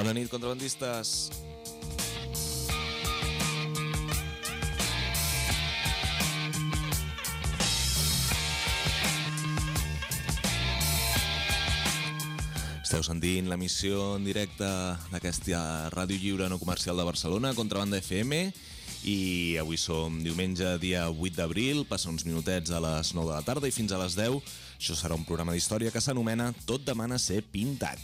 Bona nit, contrabandistes. Esteu sentint l'emissió en directe d'aquesta Ràdio Lliure no comercial de Barcelona, Contrabanda FM, i avui som diumenge, dia 8 d'abril, passa uns minutets a les 9 de la tarda i fins a les 10. Això serà un programa d'història que s'anomena Tot demana ser pintat.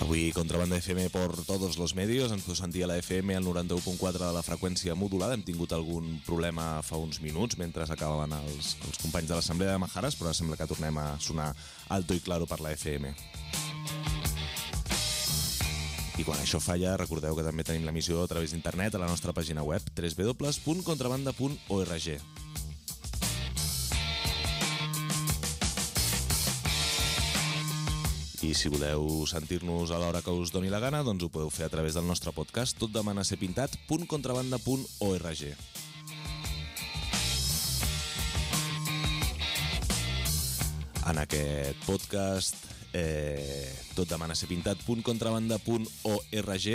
Avui Contrabanda FM por todos los medios. Ens podeu sentir a la FM al 91.4 de la freqüència modulada. Hem tingut algun problema fa uns minuts mentre acabaven els companys de l'Assemblea de Majares, però sembla que tornem a sonar alto i claro per la FM. I quan això falla, recordeu que també tenim l'emissió a través d'internet a la nostra pàgina web www.contrabanda.org. I si voleu sentir-nos a l'hora que us doni la gana, doncs ho podeu fer a través del nostre podcast totdemanaserpintat.contrabanda.org. En aquest podcast totdemanaserpintat.contrabanda.org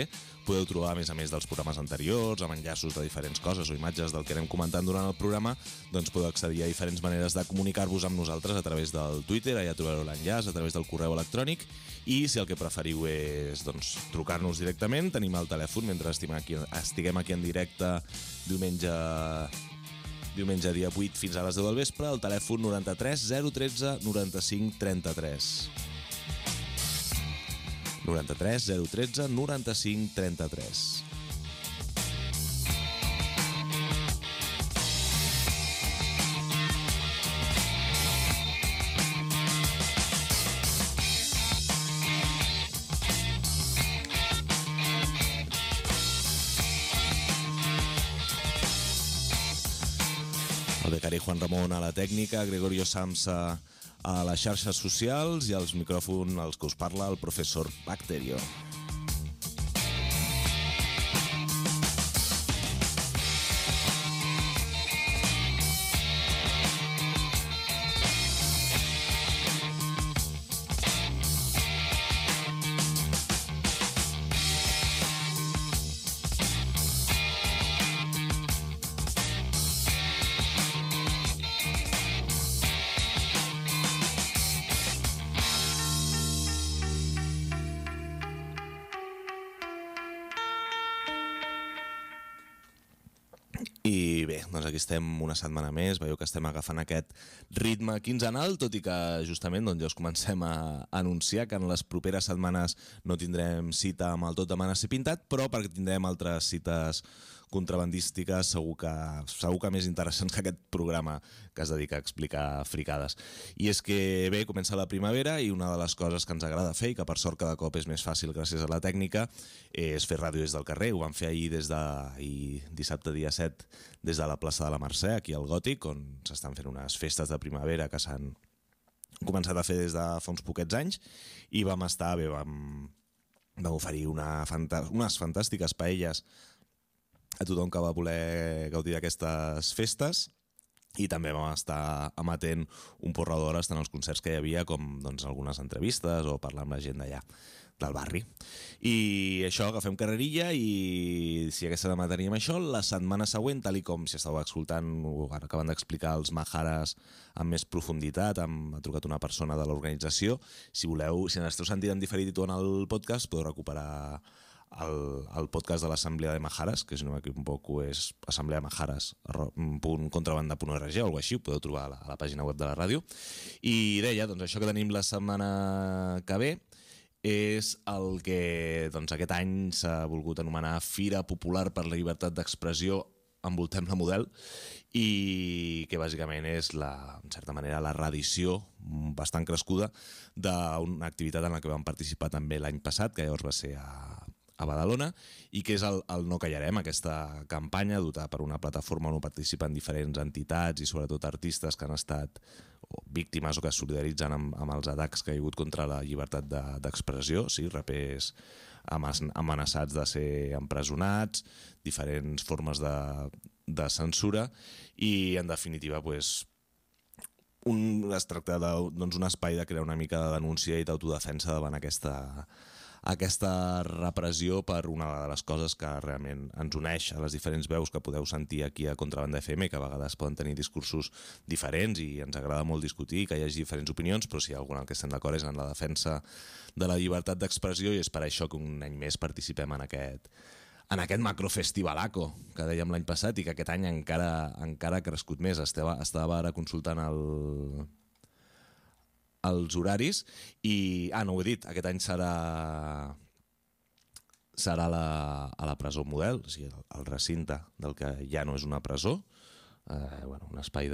podeu trobar, a més dels programes anteriors, amb enllaços de diferents coses o imatges del que anem comentant durant el programa, doncs podeu accedir a diferents maneres de comunicar-vos amb nosaltres a través del Twitter, allà trobareu l'enllaç, a través del correu electrònic, i si el que preferiu és trucar-nos directament, tenim el telèfon mentre estiguem aquí en directe diumenge dia 8 fins a les 10 del vespre, el telèfon 93 013 95 33. 93 013 95 33. El becari Juan Ramon a la tècnica, Gregorio Samsa a les xarxes socials i als micròfons als que us parla el professor Bacterio. I bé, doncs aquí estem una setmana més, veieu que estem agafant aquest ritme quinzenal, tot i que justament ja us comencem a anunciar que en les properes setmanes no tindrem cita amb el Tot demana ser pintat, però perquè tindrem altres cites contrabandístiques segur que més interessants que aquest programa que es dedica a explicar fricades. I és que bé, comença la primavera i una de les coses que ens agrada fer i que per sort cada cop és més fàcil gràcies a la tècnica és fer ràdio des del carrer. Ho vam fer ahir dissabte dia 7 des de la plaça de la Mercè, aquí al Gòtic, on s'estan fent unes festes de primavera que s'han començat a fer des de fa uns poquets anys i vam oferir unes fantàstiques paelles a tothom que va voler gaudir d'aquestes festes i també vam estar amatent un porró d'hores tant als concerts que hi havia com algunes entrevistes o parlar amb la gent d'allà del barri. I això, agafem carrerilla i si aquesta demà teníem això, la setmana següent, tal i com si estàveu escoltant ara acaben d'explicar els Majares amb més profunditat, ha trucat una persona de l'organització, si voleu, si n'esteu sentint en diferit en el podcast, podeu recuperar el podcast de l'Assemblea de Majares, que si no m'equivoco és assembleamajares.contrabanda.org o alguna així, ho podeu trobar a la pàgina web de la ràdio. I deia, doncs això que tenim la setmana que ve és el que aquest any s'ha volgut anomenar Fira Popular per la Llibertat d'Expressió, envoltem la model, i que bàsicament és en certa manera la reedició bastant crescuda d'una activitat en la que vam participar també l'any passat, que llavors va ser a Badalona, i que és el No Callarem, aquesta campanya duta per una plataforma on participen diferents entitats i sobretot artistes que han estat víctimes o que es solidaritzen amb els atacs que hi ha hagut contra la llibertat d'expressió, rapers amenaçats de ser empresonats, diferents formes de censura i, en definitiva, es tracta d'un espai de crear una mica de denúncia i d'autodefensa davant aquesta repressió per una de les coses que realment ens uneix a les diferents veus que podeu sentir aquí a Contrabanda FM, que a vegades poden tenir discursos diferents i ens agrada molt discutir, que hi hagi diferents opinions, però si hi ha alguna en què estem d'acord és en la defensa de la llibertat d'expressió, i és per això que un any més participem en aquest macrofestivalaco que dèiem l'any passat i que aquest any encara ha crescut més. Estava ara consultant els horaris i... no ho he dit, aquest any serà a la presó Model, o sigui, el recinte del que ja no és una presó, un espai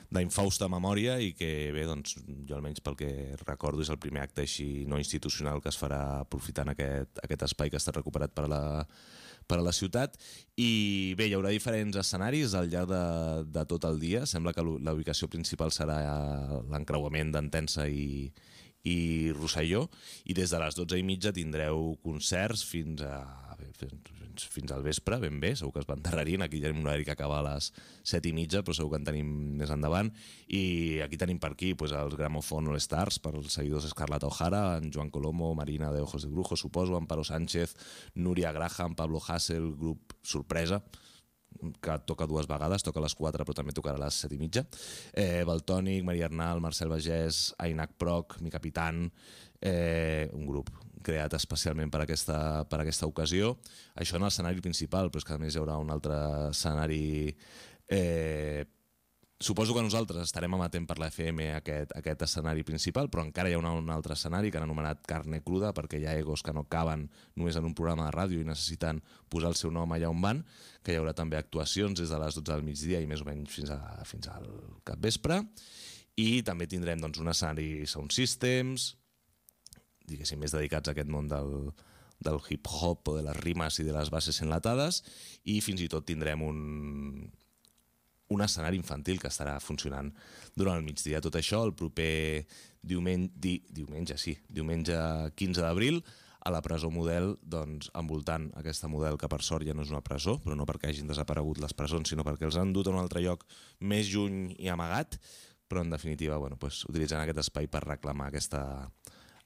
d'infausta memòria i que, bé, doncs, jo almenys pel que recordo és el primer acte així no institucional que es farà aprofitant aquest espai que està recuperat per a la ciutat. I bé, hi haurà diferents escenaris al llarg de tot el dia. Sembla que la ubicació principal serà l'encreuament d'Entença i Rosselló, i des de les 12:30 tindreu concerts fins al vespre, ben bé, segur que es van endarrerint. Aquí tenim un horari que acaba a les 7:30, però segur que en tenim més endavant. I aquí tenim per aquí els Gramophone All Stars, per als seguidors d'Escarlata O'Hara, en Joan Colomo, Marina de Ojos de Brujo, suposo, Amparo Sánchez, Núria Graham, Pablo Hasél, grup sorpresa, que toca 2 vegades, toca a les 4 però també tocarà a les 7:30. Valtònic, Maria Arnal, Marcel Bagès, Ainac Proc, Mi Capitán, un grup creat especialment per aquesta ocasió. Això en l'escenari principal, però és que a més hi haurà un altre escenari. Suposo que nosaltres estarem emetent per la FM aquest escenari principal, però encara hi ha un altre escenari que han anomenat Carne Cruda, perquè hi ha egos que no caben només en un programa de ràdio i necessiten posar el seu nom allà on van, que hi haurà també actuacions des de les 12 del migdia i més o menys fins al capvespre. I també tindrem un escenari Sound Systems, diguéssim, més dedicats a aquest món del hip-hop o de les rimes i de les bases enlatades, i fins i tot tindrem un escenari infantil que estarà funcionant durant el migdia. Tot això el proper diumenge 15 d'abril a la presó Model, envoltant aquesta Model, que per sort ja no és una presó, però no perquè hagin desaparegut les presons, sinó perquè els han dut a un altre lloc més lluny i amagat, però en definitiva utilitzant aquest espai per reclamar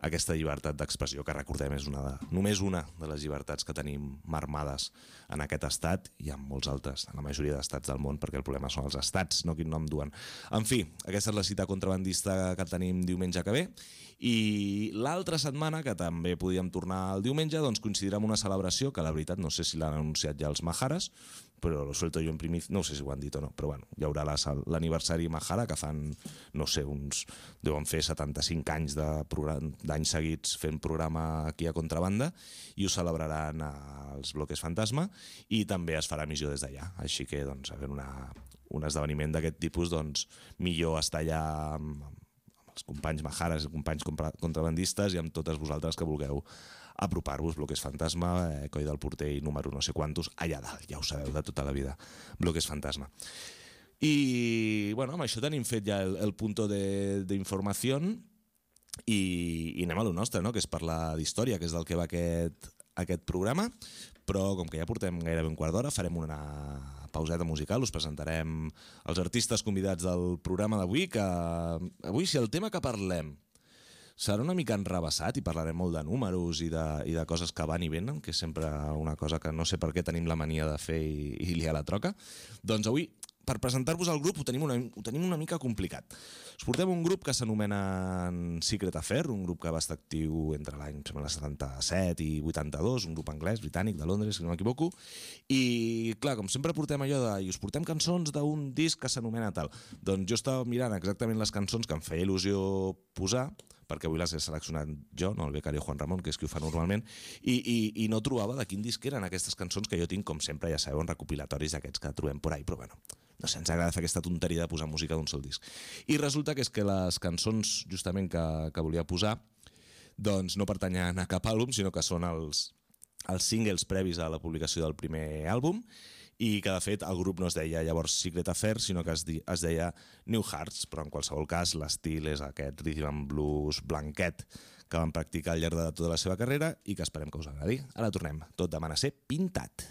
aquesta llibertat d'expressió, que recordem és només una de les llibertats que tenim marmades en aquest estat i en molts altres, en la majoria d'estats del món, perquè el problema són els estats, no quin nom duen. En fi, aquesta és la cita contrabandista que tenim diumenge que ve, i l'altra setmana, que també podíem tornar el diumenge, coincidirà amb una celebració que la veritat no sé si l'han anunciat ja els Maharas, però lo suelto jo en primicia, no sé si ho han dit o no, però bueno, hi haurà l'aniversari Mahara, que fan, no sé, deuen fer 75 anys d'anys seguits fent programa aquí a Contrabanda, i ho celebraran als Bloques Fantasma, i també es farà emissió des d'allà, així que havent un esdeveniment d'aquest tipus, millor estar allà amb els companys Maharas, companys contrabandistes, i amb totes vosaltres que vulgueu apropar-vos. Bloques Fantasma, Coi del Porter i número no sé quantos, allà dalt, ja ho sabeu de tota la vida, Bloques Fantasma. I amb això tenim fet ja el punto d'informació, i anem a lo nostre, que és parlar d'història, que és del que va aquest programa, però com que ja portem gairebé un quart d'hora, farem una pauseta musical, us presentarem els artistes convidats del programa d'avui, que avui, si el tema que parlem serà una mica enrevessat i parlarem molt de números i de coses que van i venen, que és sempre una cosa que no sé per què tenim la mania de fer i liar la troca. Doncs avui, per presentar-vos el grup, ho tenim una mica complicat. Us portem un grup que s'anomena Secret Affair, un grup que va estar actiu entre l'any 77 i 82, un grup anglès, britànic, de Londres, si no m'equivoco, i clar, com sempre portem allò i us portem cançons d'un disc que s'anomena tal. Doncs jo estava mirant exactament les cançons que em feia il·lusió posar, perquè avui les he seleccionat jo, no el becari Juan Ramon, que és qui ho fa normalment, i no trobava de quin disc eren aquestes cançons que jo tinc, com sempre, ja sabeu, en recopilatoris d'aquests que trobem por ahí, però bueno, no sé, ens agrada fer aquesta tonteria de posar música d'un sol disc. I resulta que és que les cançons, justament, que volia posar, doncs no pertanyen a cap àlbum, sinó que són els singles previs a la publicació del primer àlbum, i que de fet el grup no es deia llavors Secret Affair, sinó que es deia New Hearts, però en qualsevol cas l'estil és aquest rhythm and blues blanquet que van practicar al llarg de tota la seva carrera i que esperem que us agradi. Ara tornem, tot demana ser pintat.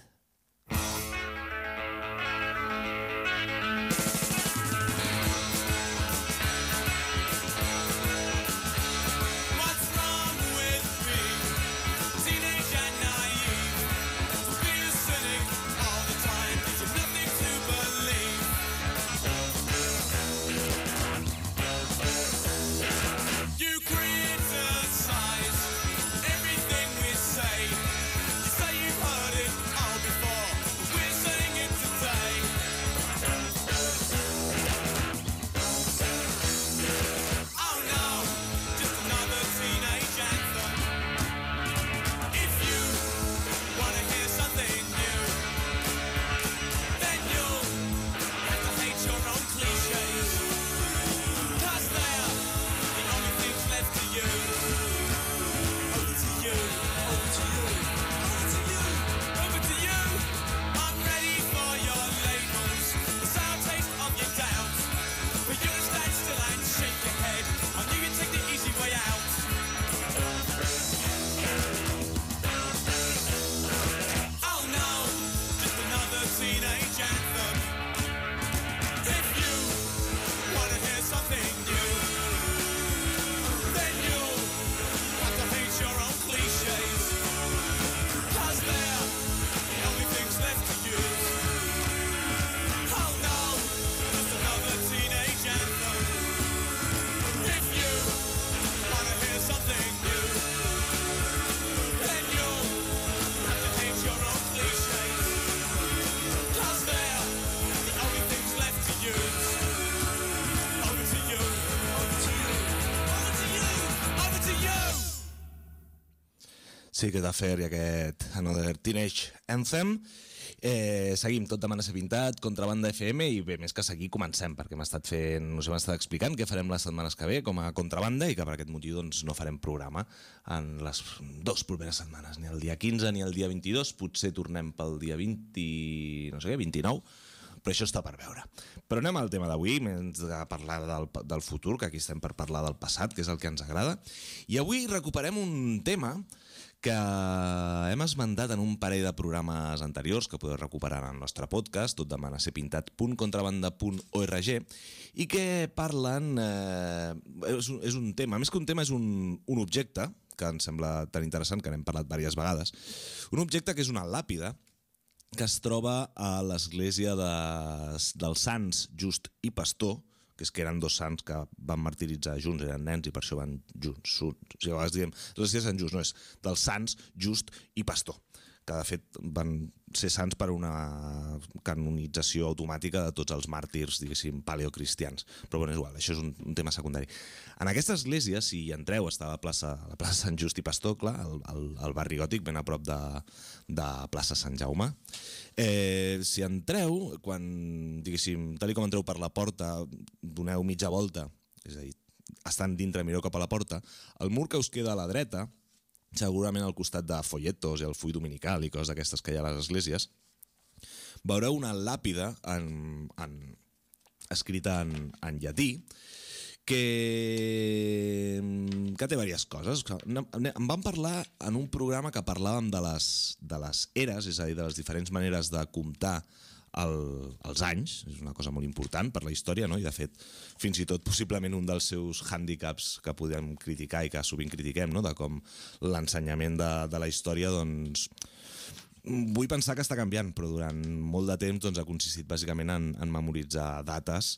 Secret Affair i aquest Another Teenage Anthem. Seguim tot demana ser pintat, Contrabanda FM, i bé, més que seguir comencem, perquè m'ha estat explicant què farem les setmanes que ve com a Contrabanda, i que per aquest motiu doncs, no farem programa en les 2 properes setmanes, ni el dia 15 ni el dia 22, potser tornem pel dia 20, no sé què, 29, però això està per veure. Però anem al tema d'avui, més de parlar del futur, que aquí estem per parlar del passat, que és el que ens agrada, i avui recuperem un tema que hem esmentat en un parell de programes anteriors que podeu recuperar en el nostre podcast, tot demana ser pintat.contrabanda.org, i que parlen... és un tema, més que un tema és un objecte, que em sembla tan interessant, que n'hem parlat diverses vegades, un objecte que és una làpida, que es troba a l'església dels Sants Just i Pastor, que és que eren 2 sants que van martiritzar junts, eren nens i per això van junts. O sigui, a vegades diem, l'església de Sant Just, no és dels Sants Just i Pastor, que de fet van ser sants per una canonització automàtica de tots els màrtirs, diguéssim, paleocristians. Però bueno, és igual, això és un tema secundari. En aquesta església, si hi entreu, està a la plaça Sant Just i Pastor, clar, al barri gòtic, ben a prop de plaça Sant Jaume. Si entreu, quan, diguéssim, tal com entreu per la porta, doneu mitja volta, és a dir, estant dintre, mireu cap a la porta, el mur que us queda a la dreta, segurament al costat de folletos i el full dominical i coses d'aquestes que hi ha a les esglésies, veureu una làpida escrita en llatí que té diverses coses. Em van parlar en un programa que parlàvem de les eres, és a dir, de les diferents maneres de comptar els anys, és una cosa molt important per la història, no? I de fet, fins i tot possiblement un dels seus hàndicaps que podem criticar i que sovint critiquem, no? De com l'ensenyament de la història, doncs, vull pensar que està canviant, però durant molt de temps doncs, ha consistit bàsicament en memoritzar dates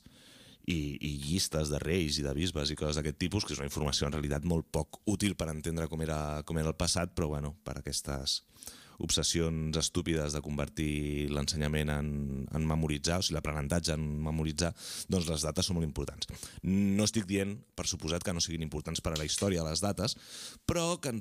i llistes de reis i de bisbes i coses d'aquest tipus, que és una informació en realitat molt poc útil per entendre com era el passat, però bueno, per aquestes obsessions estúpides de convertir l'ensenyament en memoritzar, o sigui, l'aprenentatge en memoritzar, doncs les dates són molt importants. No estic dient, per suposat, que no siguin importants per a la història les dates, però que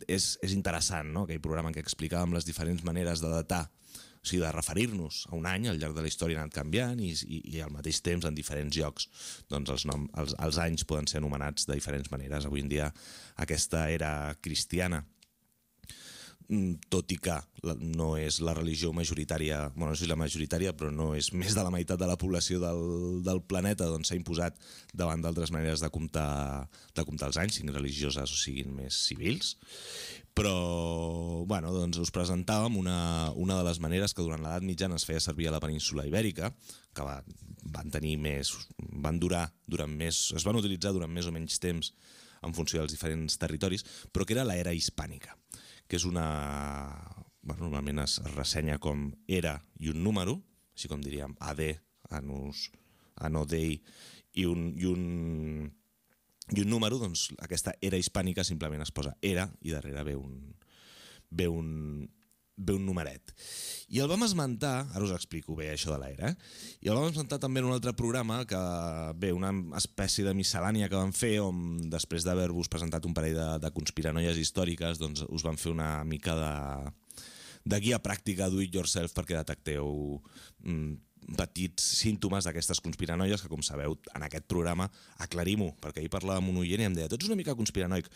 és interessant, no? Aquell programa en què explicàvem les diferents maneres de datar, o sigui, de referir-nos a un any al llarg de la història ha anat canviant i al mateix temps en diferents llocs doncs els anys poden ser anomenats de diferents maneres. Avui en dia aquesta era cristiana, tot i que no és la religió majoritària, bueno, no és la majoritària, però no és més de la meitat de la població del planeta, doncs s'ha imposat davant d'altres maneres de comptar els anys, siguin religioses o siguin més civils. Però, bueno, doncs us presentàvem una de les maneres que durant l'edat mitjana es feia servir a la península Ibèrica, que es van utilitzar durant més o menys temps en funció dels diferents territoris, però que era l'era hispànica, que és normalment es ressenya com era i un número, així com diríem AD, Anus, Anno Dei, i un número, doncs aquesta era hispànica simplement es posa era i darrere ve un numeret. I el vam esmentar, ara us explico bé això de l'era, i el vam esmentar també en un altre programa, una espècie de miscel·lània que vam fer, on després d'haver-vos presentat un parell de conspiranoies històriques, doncs us vam fer una mica de guia pràctica do it yourself perquè detecteu petits símptomes d'aquestes conspiranoies que, com sabeu, en aquest programa aclarim-ho, perquè ahir parlàvem amb un oient i em deia, tu ets una mica conspiranoic.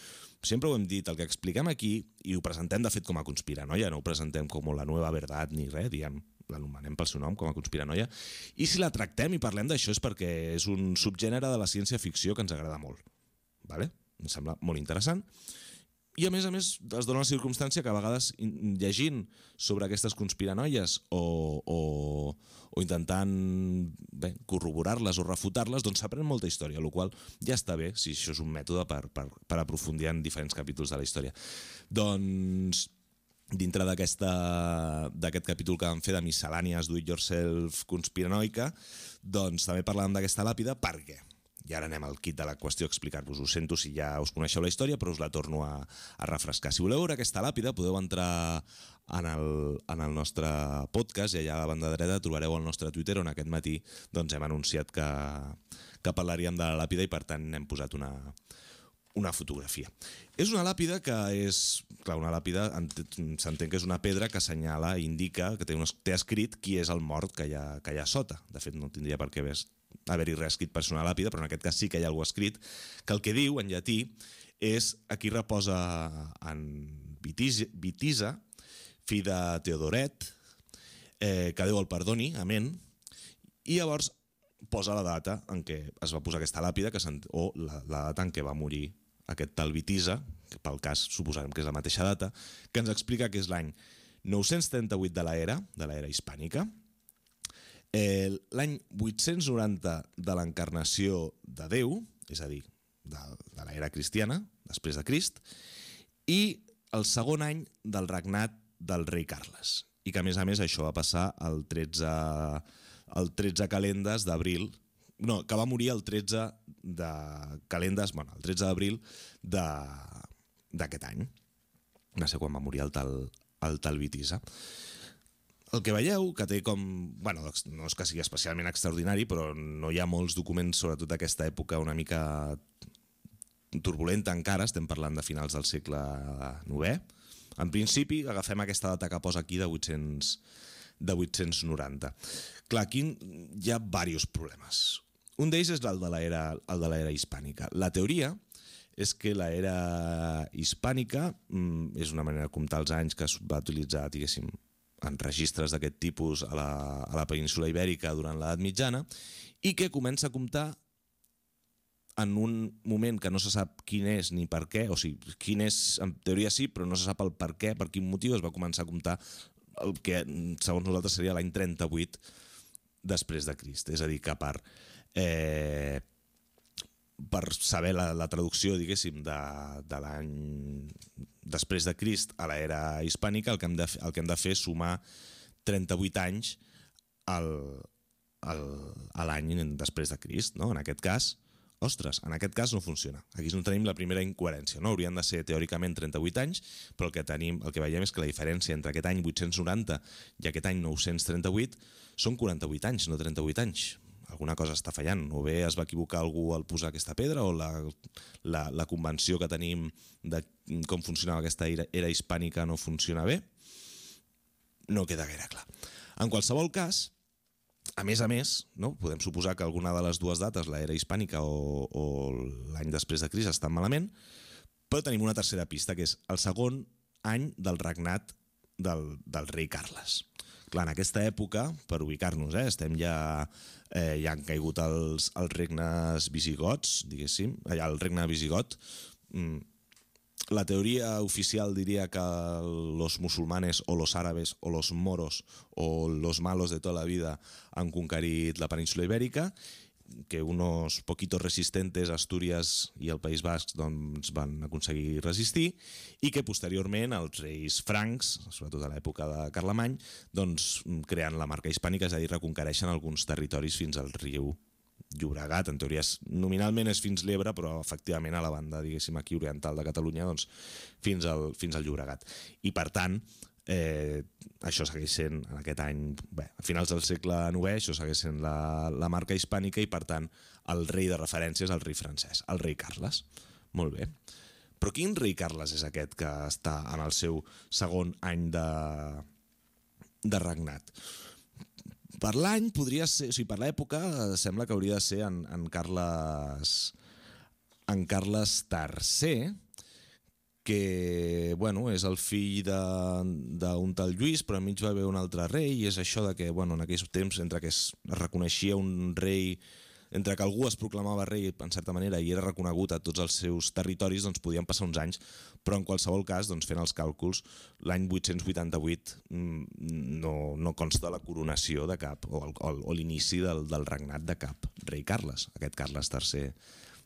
Sempre ho hem dit, el que expliquem aquí, i ho presentem de fet com a conspiranoia, no ho presentem com la nueva verdad ni res, diem, l'anomenem pel seu nom com a conspiranoia, i si la tractem i parlem d'això és perquè és un subgènere de la ciència-ficció que ens agrada molt. Vale? Em sembla molt interessant. I a més es dona la circumstància que a vegades llegint sobre aquestes conspiranoies o intentant corroborar-les o refutar-les, doncs s'aprèn molta història, el qual ja està bé si això és un mètode per aprofundir en diferents capítols de la història. Doncs dintre d'aquest capítol que vam fer de miscel·lànies do it yourself conspiranoica, doncs també parlàvem d'aquesta làpida perquè... I ara anem al kit de la qüestió a explicar-vos. Ho sento si ja us coneixeu la història, però us la torno a refrescar. Si voleu veure aquesta làpida, podeu entrar en el nostre podcast i allà a la banda dreta trobareu el nostre Twitter, on aquest matí doncs, hem anunciat que parlaríem de la làpida i per tant hem posat una fotografia. És una làpida que és... Clar, una làpida s'entén que és una pedra que assenyala, indica, que té escrit qui és el mort que hi ha sota. De fet, no tindria per què haver-hi res escrit per ser una làpida, però en aquest cas sí que hi ha alguna cosa escrit, que el que diu, en llatí, és aquí reposa en Vitisa, fill de Teodoret, que Déu el perdoni, amén, i llavors posa la data en què es va posar aquesta làpida o la data en què va morir aquest tal Vitisa, que pel cas suposarem que és la mateixa data, que ens explica que és l'any 938 de l'era hispànica, l'any 890 de l'encarnació de Déu, és a dir, de l'era cristiana, després de Crist, i el segon any del regnat del rei Carles. I que, a més, això va passar el 13 calendes d'abril, no, que va morir el 13 de calendes, bueno, el 13 d'abril d'aquest any. No sé quan va morir el tal Vitisa. El que veieu, que té com... Bueno, no és que sigui especialment extraordinari, però no hi ha molts documents, sobretot d'aquesta època una mica turbulenta encara, estem parlant de finals del segle IX. En principi, agafem aquesta data que posa aquí de 890. Clar, aquí hi ha diversos problemes. Un d'ells és el de l'era hispànica. La teoria és que l'era hispànica és una manera de comptar els anys que es va utilitzar, diguéssim, en registres d'aquest tipus a la península ibèrica durant l'edat mitjana i que comença a comptar en un moment que no se sap quin és ni per què, o sigui, quin és, en teoria sí, però no se sap el per què, per quin motiu es va començar a comptar el que, segons nosaltres, seria l'any 38 després de Crist. És a dir, que per saber la traducció, diguéssim, de l'any després de Crist a l'era hispànica, el que hem de fer és sumar 38 anys a l'any després de Crist, no? En aquest cas, ostres, en aquest cas no funciona. Aquí no tenim la primera incoherència, no? Haurien de ser teòricament 38 anys, però el que veiem és que la diferència entre aquest any 890 i aquest any 938 són 48 anys, no 38 anys. Alguna cosa està fallant, o bé es va equivocar algú al posar aquesta pedra, o la convenció que tenim de com funcionava aquesta era hispànica no funciona bé. No queda gaire clar. En qualsevol cas, a més, no? Podem suposar que alguna de les dues dates, l'era hispànica o l'any després de Crist, estan malament, però tenim una tercera pista, que és el segon any del regnat del rei Carles. Clar, en aquesta època, per ubicar-nos, estem ja han caigut els regnes visigots, diguéssim, el regne visigot. La teoria oficial diria que los musulmanes o los árabes o los moros o los malos de toda la vida han conquerit la península ibèrica, que unos poquitos resistentes, Astúries i el País Basc, doncs, van aconseguir resistir, i que posteriorment els reis francs, sobretot a l'època de Carlemany, doncs, creen la marca hispànica, és a dir, reconquereixen alguns territoris fins al riu Llobregat. En teoria nominalment és fins l'Ebre, però efectivament a la banda, diguéssim, aquí oriental de Catalunya, doncs, fins al Llobregat. I per tant, això segueix sent en aquest any, a finals del segle IX, això segueix sent la marca hispànica, i per tant el rei de referència és el rei francès, el rei Carles. Molt bé. Però quin rei Carles és aquest que està en el seu segon any de regnat? Per l'any podria ser, o sigui, per l'època sembla que hauria de ser en Carles III, que és el fill d'un tal Lluís, però enmig va haver un altre rei, i és això de que en aquells temps, entre que es reconeixia un rei, entre que algú es proclamava rei en certa manera i era reconegut a tots els seus territoris, doncs podien passar uns anys, però en qualsevol cas, doncs, fent els càlculs, l'any 888 no consta la coronació de cap, o l'inici del regnat de cap rei Carles, aquest Carles III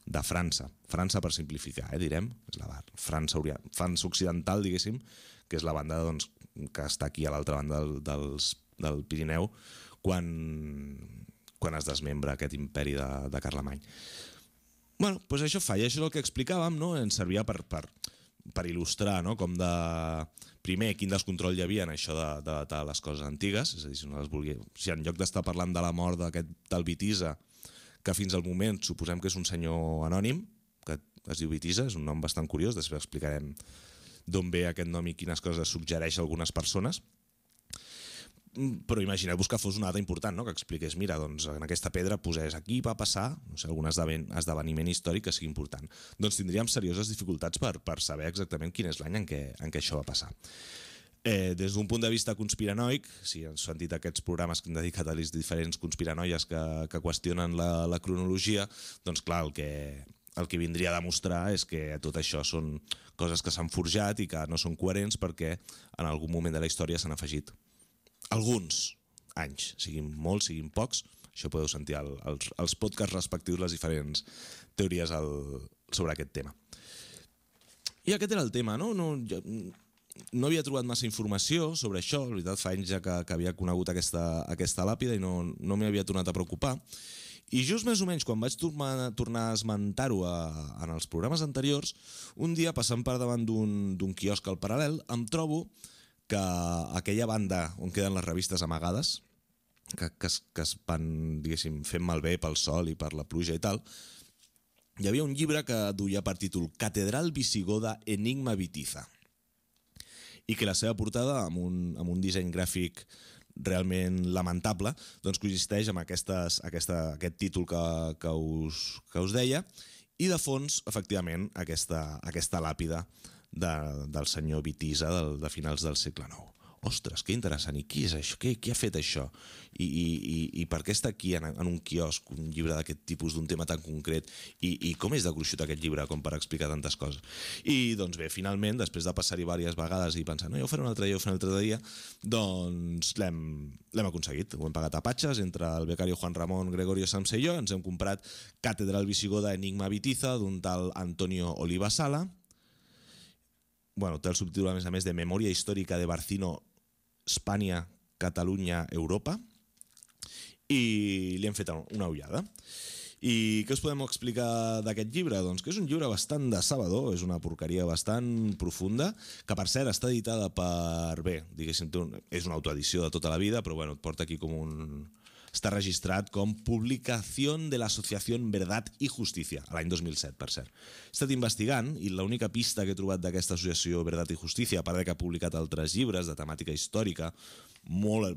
de França. França, per simplificar, direm, és la França occidental, diguéssim, que és la banda que està aquí a l'altra banda del Pirineu quan es desmembra aquest imperi de Carlemany. Doncs això fa, i això és el que explicàvem, ens servia per il·lustrar com de... Primer, quin descontrol hi havia en això de datar les coses antigues, és a dir, si en lloc d'estar parlant de la mort d'aquest tal Vitisa, que fins al moment suposem que és un senyor anònim, que es diu Bitiza, és un nom bastant curiós, després explicarem d'on ve aquest nom i quines coses suggereix a algunes persones. Però imagineu-vos que fos una data important, no? Que expliqués, mira, doncs en aquesta pedra posés aquí va passar, no sé, algun esdeveniment històric que sigui important. Doncs tindríem serioses dificultats per saber exactament quin és l'any en què això va passar. Des d'un punt de vista conspiranoic, si heu sentit aquests programes que hem dedicat a les diferents conspiranoies que qüestionen la cronologia, doncs clar, el que vindria a demostrar és que tot això són coses que s'han forjat i que no són coherents perquè en algun moment de la història s'han afegit alguns anys, siguin molts, siguin pocs. Això podeu sentir als podcasts respectius les diferents teories sobre aquest tema. I aquest era el tema, no? No havia trobat massa informació sobre això, la veritat fa anys ja que havia conegut aquesta làpida i no m'hi havia tornat a preocupar. I just més o menys quan vaig tornar a esmentar-ho en els programes anteriors, un dia passant per davant d'un quiosc al Paral·lel em trobo que aquella banda on queden les revistes amagades, que es van, diguéssim, fent malbé pel sol i per la pluja i tal, hi havia un llibre que duia per títol Catedral Visigoda Enigma Bitiza, i que la seva portada, amb un disseny gràfic realment lamentable, doncs coexisteix amb aquest títol que us deia, i de fons, efectivament, aquesta làpida del senyor Bitiza de finals del segle IX. Ostres, que interessant, i qui és això? Qui ha fet això? I per què està aquí en un quiosc un llibre d'aquest tipus d'un tema tan concret? I com és de gruixut aquest llibre com per explicar tantes coses? I doncs bé, finalment, després de passar-hi diverses vegades i pensar, no, jo ho faré un altre dia, doncs l'hem aconseguit. Ho hem pagat a patxes entre el becario Juan Ramón Gregorio Samse i jo, ens hem comprat Catedral Visigoda Enigma Bitiza d'un tal Antonio Oliva Sala. Bueno, té el subtítol a més de Memòria històrica de Barcino, Espanya, Catalunya, Europa, i li hem fet una ullada. I què us podem explicar d'aquest llibre? Doncs que és un llibre bastant decebedor, és una porqueria bastant profunda, que per cert està editada per... Bé, diguéssim, és una autoedició de tota la vida, però bueno, et porta aquí com un... Està registrat com Publicació de l'Associació Verdad i Justícia, a l'any 2007, per cert. He estat investigant i l'única pista que he trobat d'aquesta associació Verdad i Justícia, a part que ha publicat altres llibres de temàtica històrica,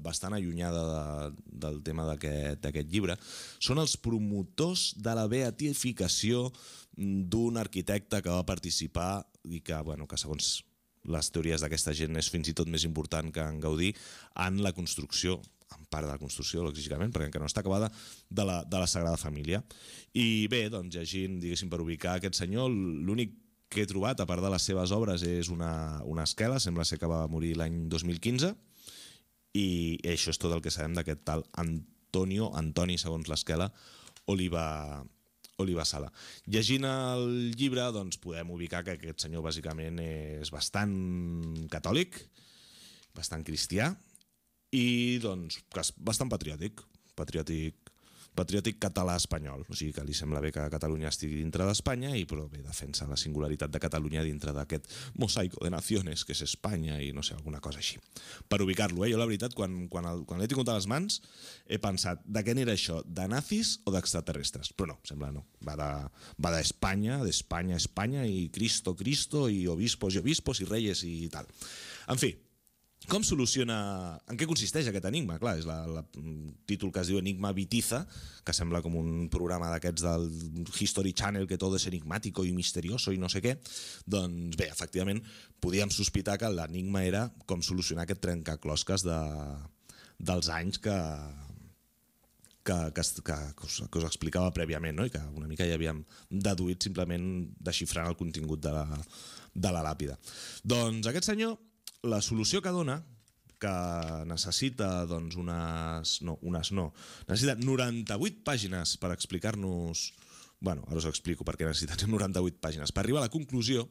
bastant allunyada del tema d'aquest llibre, són els promotors de la beatificació d'un arquitecte que va participar i que segons les teories d'aquesta gent és fins i tot més important que en Gaudí en la construcció, en part de la construcció, lògicament, perquè encara no està acabada, de la Sagrada Família. I bé, doncs llegint, diguéssim, per ubicar aquest senyor, l'únic que he trobat, a part de les seves obres, és una esquela, sembla ser que va morir l'any 2015, i això és tot el que sabem d'aquest tal Antoni, segons l'esquela, Oliva Sala. Llegint el llibre, doncs podem ubicar que aquest senyor bàsicament és bastant catòlic, bastant cristià, i doncs bastant patriòtic català-espanyol, o sigui que li sembla bé que Catalunya estigui dintre d'Espanya i però bé, defensa la singularitat de Catalunya dintre d'aquest mosaico de naciones que és Espanya i no sé, alguna cosa així. Per ubicar-lo, jo la veritat, quan l'he tingut a les mans he pensat, de què n'era això? De nazis o d'extraterrestres? Però no, sembla no. Va d'Espanya, Espanya i Cristo i obispos i reyes i tal. En fi, com soluciona... En què consisteix aquest enigma? Clar, és el títol que es diu Enigma Bitiza, que sembla com un programa d'aquests del History Channel, que tot és enigmàtico i misterioso i no sé què. Doncs bé, efectivament, podíem sospitar que l'enigma era com solucionar aquest trencaclosques dels anys que us explicava prèviament, no? I que una mica ja havíem deduït simplement desxifrant el contingut de la làpida. Doncs aquest senyor, la solució que dona, que necessita doncs necessita 98 pàgines per explicar-nos... Bueno, ara us explico per què necessiten 98 pàgines. Per arribar a la conclusió,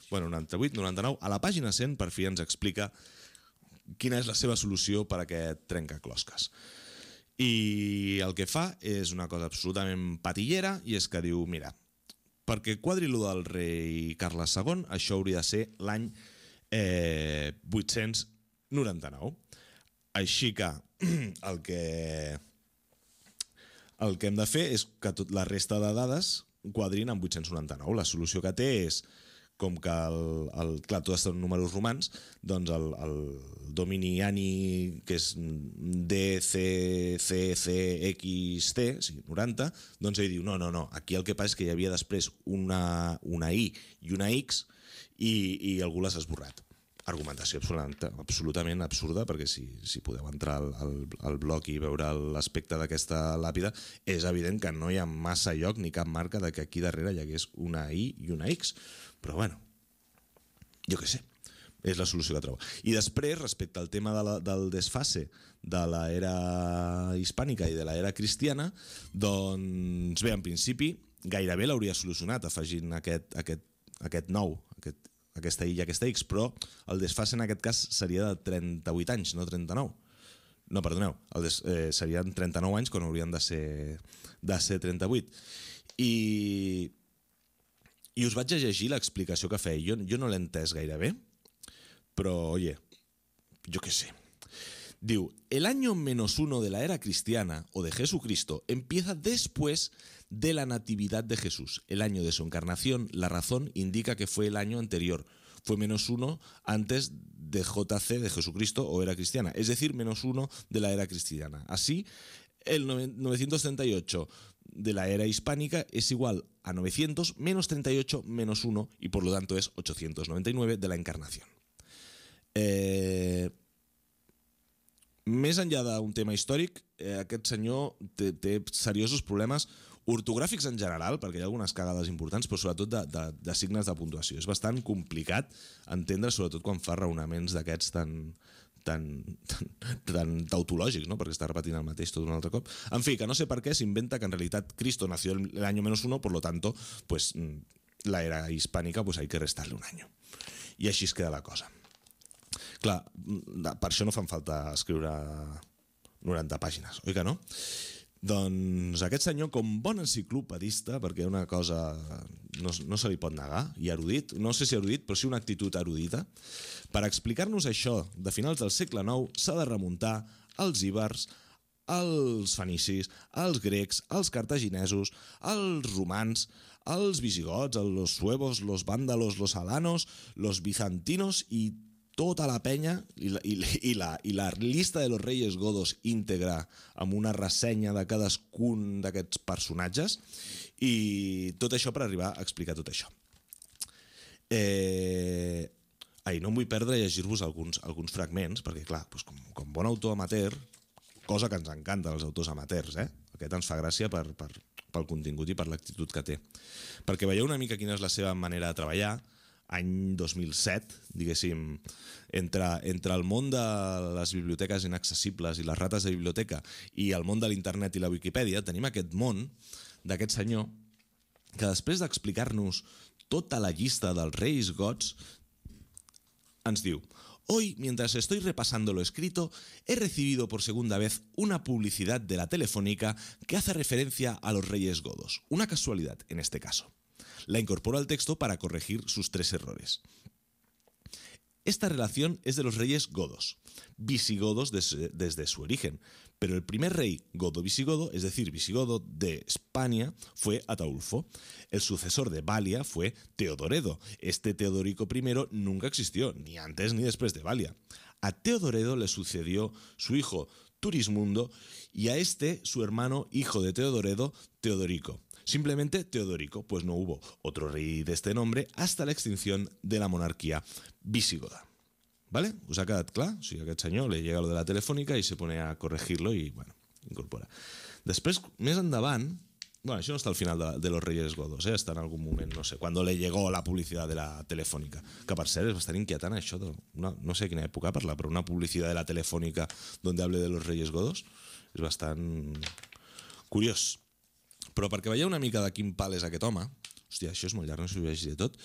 98, 99, a la pàgina 100 per fi ens explica quina és la seva solució per a aquest trencaclosques. I el que fa és una cosa absolutament patillera i és que diu, mira, perquè quadri lo del rei Carles II, això hauria de ser l'any 899. Així que el que hem de fer és que la resta de dades quadrin amb 899. La solució que té és, com que clar, tots són números romans, doncs el domini ANI, que és DCCCXT, sí, 90, doncs ell diu, no, aquí el que passa és que hi havia després una I i una X i algú l'has esborrat. Argumentació absolutament absurda, perquè si podeu entrar al blog i veure l'aspecte d'aquesta làpida, és evident que no hi ha massa lloc ni cap marca de que aquí darrere hi hagués una I i una X. Però bueno, jo què sé, és la solució que trobo. I després, respecte al tema del desfase de l'era hispànica i de l'era cristiana, doncs bé, en principi, gairebé l'hauria solucionat afegint aquest nou, aquesta I i aquesta X, però el desfase en aquest cas seria de 38 anys, no 39. No, perdoneu, serien 39 anys quan haurien de ser 38. I us vaig a llegir l'explicació que feia. Jo no l'he entès gaire bé, però, oye, yo qué sé. Diu, el año -1 de la era cristiana o de Jesucristo empieza después de la natividad de Jesús. El año de su encarnación, la razón indica que fue el año anterior. Fue -1 antes de JC de Jesucristo o era cristiana, es decir, -1 de la era cristiana. Así, el 938 de la era hispánica es igual a 900 menos 38 menos 1 y por lo tanto es 899 de la encarnación. Més enllà d'un tema històric, aquest senyor té seriosos problemes ortogràfics en general, perquè hi ha algunes cagades importants, però sobretot de signes de puntuació. És bastant complicat entendre, sobretot quan fa raonaments d'aquests tan tautològics, no? Perquè està repetint el mateix tot un altre cop. En fi, que no sé per què s'inventa que en realitat Cristo nació el año -1, por lo tanto, pues la era hispànica pues hay que restarle un año. I així es queda la cosa. Clar, per això no fan falta escriure 90 pàgines, oi que no? Doncs aquest senyor, com bon enciclopedista, perquè una cosa no se li pot negar, i erudit, no sé si erudit, però sí una actitud erudita, per explicar-nos això de finals del segle IX s'ha de remuntar als íbers, als fenicis, als grecs, als cartaginesos, als romans, als visigots, als suevos, los vándalos, los alanos, los bizantinos i tota la penya i la llista de los reyes godos íntegra amb una ressenya de cadascun d'aquests personatges i tot això per arribar a explicar tot això. No em vull perdre a llegir-vos alguns fragments, perquè clar, com bon autor amateur, cosa que ens encanta als autors amateurs, aquest ens fa gràcia pel contingut i per l'actitud que té. Perquè veieu una mica quina és la seva manera de treballar. Any 2007, diguéssim, entre el món de les biblioteques inaccessibles i les rates de biblioteca i el món de l'internet i la Wikipedia, tenim aquest món d'aquest senyor que després d'explicar-nos tota la llista dels reis gots ens diu: hoy, mientras estoy repasando lo escrito, he recibido por segunda vez una publicidad de la Telefónica que hace referencia a los reyes godos. Una casualidad en este caso. La incorporo al texto para corregir sus 3 errores. Esta relación es de los reyes godos, visigodos desde su origen, pero el primer rey godo-visigodo, es decir, visigodo de España, fue Ataulfo. El sucesor de Balia fue Teodoredo. Este Teodorico I nunca existió, ni antes ni después de Balia. A Teodoredo le sucedió su hijo Turismundo y a este su hermano, hijo de Teodoredo, Teodorico. Simplemente Teodorico, pues no hubo otro rey de este nombre hasta la extinción de la monarquía visigoda. ¿Vale? ¿Us ha quedat clar? O sigui, a aquest senyor li llega lo de la Telefònica i se pone a corregirlo i, bueno, incorpora. Després, més endavant, bueno, això no està al final de los Reyes Godos, està en algun moment, no sé, cuando le llegó la publicidad de la Telefònica, que per cert és bastant inquietant això, no sé a quina època parla, però una publicitat de la Telefònica donde hable de los Reyes Godos és bastant curiós. Però perquè veieu una mica de quin pal és aquest home, hòstia, això és molt llarg, no sé si ho veig de tot,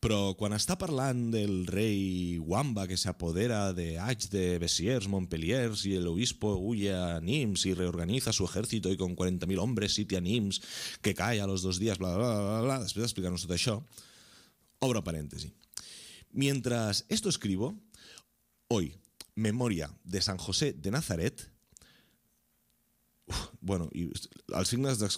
però quan està parlant del rei Wamba que se apodera de Aix de Bessiers, Montpelliers y el obispo huye a Nimes y reorganiza su ejército y con 40.000 hombres sitia Nimes que cae a los 2 días, bla, bla, bla, bla, després d'explicar-nos tot això, obro parèntesi. Mientras esto escribo, hoy, memoria de San José de Nazaret, Bueno, y els signes de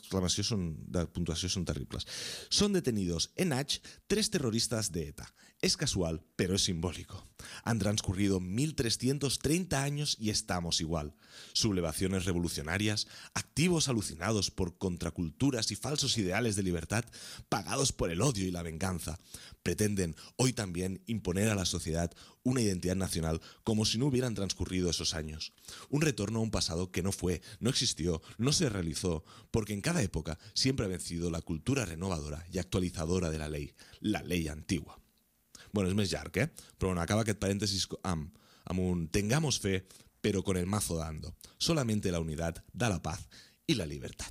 puntuació son terribles. Son detenidos en H 3 terroristas de ETA. Es casual, pero es simbólico. Han transcurrido 1330 años y estamos igual. Sublevaciones revolucionarias, activos alucinados por contraculturas y falsos ideales de libertad, pagados por el odio y la venganza. Pretenden hoy también imponer a la sociedad una identidad nacional como si no hubieran transcurrido esos años. Un retorno a un pasado que no fue, no existió, no se realizó, porque en cada época siempre ha vencido la cultura renovadora y actualizadora de la ley antigua. Bueno, és més llarg, Però bueno, acaba aquest parèntesis amb un tengamos fe, pero con el mazo dando. Solamente la unidad da la paz y la libertad.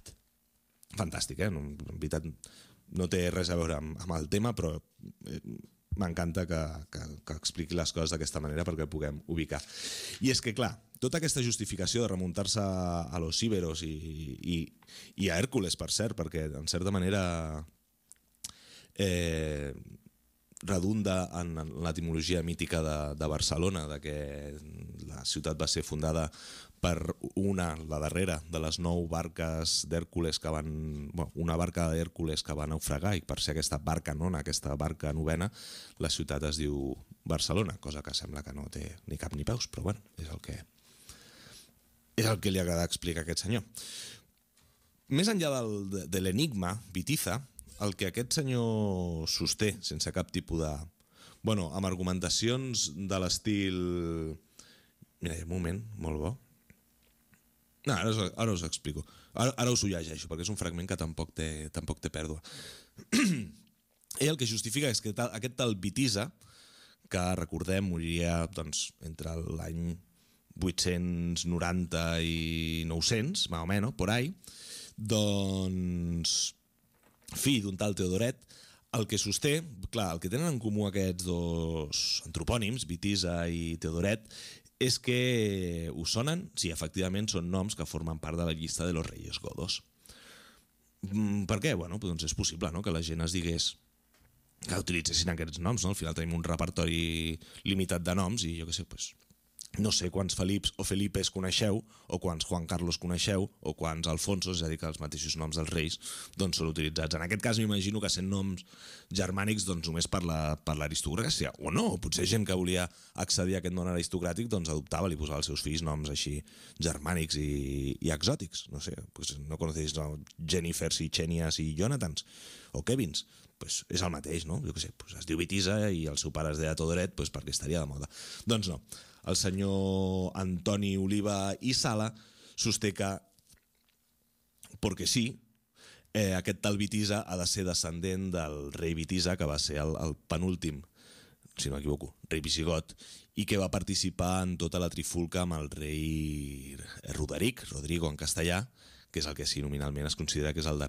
Fantàstic, En veritat, no té res a veure amb el tema, però m'encanta que expliqui les coses d'aquesta manera perquè el puguem ubicar. I és que, clar, tota aquesta justificació de remuntar-se a los íberos i a Hèrcules, per cert, perquè en certa manera redunda en l'etimologia mítica de Barcelona, de que la ciutat va ser fundada per la darrera de les 9 barques d'Hèrcules que van... una barca d'Hèrcules que va naufragar, i per ser aquesta barca nona, aquesta barca novena, la ciutat es diu Barcelona, cosa que sembla que no té ni cap ni peus, però bueno, és el que li agrada explicar a aquest senyor. Més enllà de l'enigma, Bitiza, el que aquest senyor sosté, sense cap tipus de... amb argumentacions de l'estil... Mira, un moment, molt bo. No, ara us explico. Ara us ho llegeixo, perquè és un fragment que tampoc té pèrdua. Ell el que justifica és que aquest tal Bitiza, que recordem moriria entre l'any 890 i 900, més o menys, por ahí, fill d'un tal Teodoret, el que sosté, clar, el que tenen en comú aquests dos antropònims, Bitiza i Teodoret, és que us sonen? Sí, efectivament són noms que formen part de la llista de los reyes godos. Per què? Doncs és possible que la gent es digués que utilitzessin aquests noms. Al final tenim un repertori limitat de noms i jo què sé, no sé quants Felips o Felipes coneixeu, o quants Juan Carlos coneixeu, o quants Alfonsos, és a dir, que els mateixos noms dels reis són utilitzats. En aquest cas m'imagino que sent noms germànics només per l'aristocràcia, o no, potser gent que volia accedir a aquest món aristocràtic adoptava i posava als seus fills noms així germànics i exòtics. No sé, no conocéis Jennifers i Xènies i Jonathans, o Kevins, és el mateix, no? Jo què sé, es diu Bitiza i el seu pare es deia Teodoret perquè estaria de moda. Doncs no. El senyor Antoni Oliva i Sala sosté que, perquè sí, aquest tal Bitiza ha de ser descendent del rei Bitiza, que va ser el penúltim, si no m'equivoco, rei visigot, i que va participar en tota la trifulca amb el rei Rodrigo en castellà, que és el que sí nominalment es considera que és el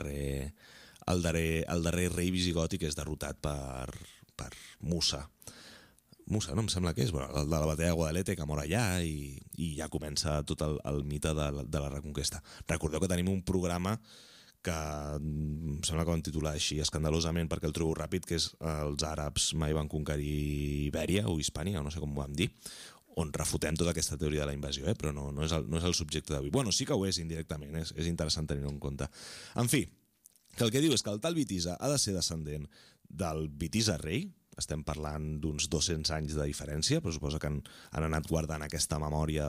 darrer rei visigot i que és derrotat per Musa, no em sembla que és, el de la batalla de Guadalete, que mor allà i ja comença tot el mite de la reconquesta. Recordeu que tenim un programa que em sembla que vam titular així escandalosament perquè el trobo ràpid, que és els àrabs mai van conquerir Ibèria o Hispània, no sé com ho vam dir, on refutem tota aquesta teoria de la invasió, però no és el subjecte d'avui. Sí que ho és indirectament, és interessant tenir-ho en compte. En fi, que el que diu és que el tal Bitiza ha de ser descendent del Bitiza rei. Estem parlant d'uns 200 anys de diferència, però suposa que han anat guardant aquesta memòria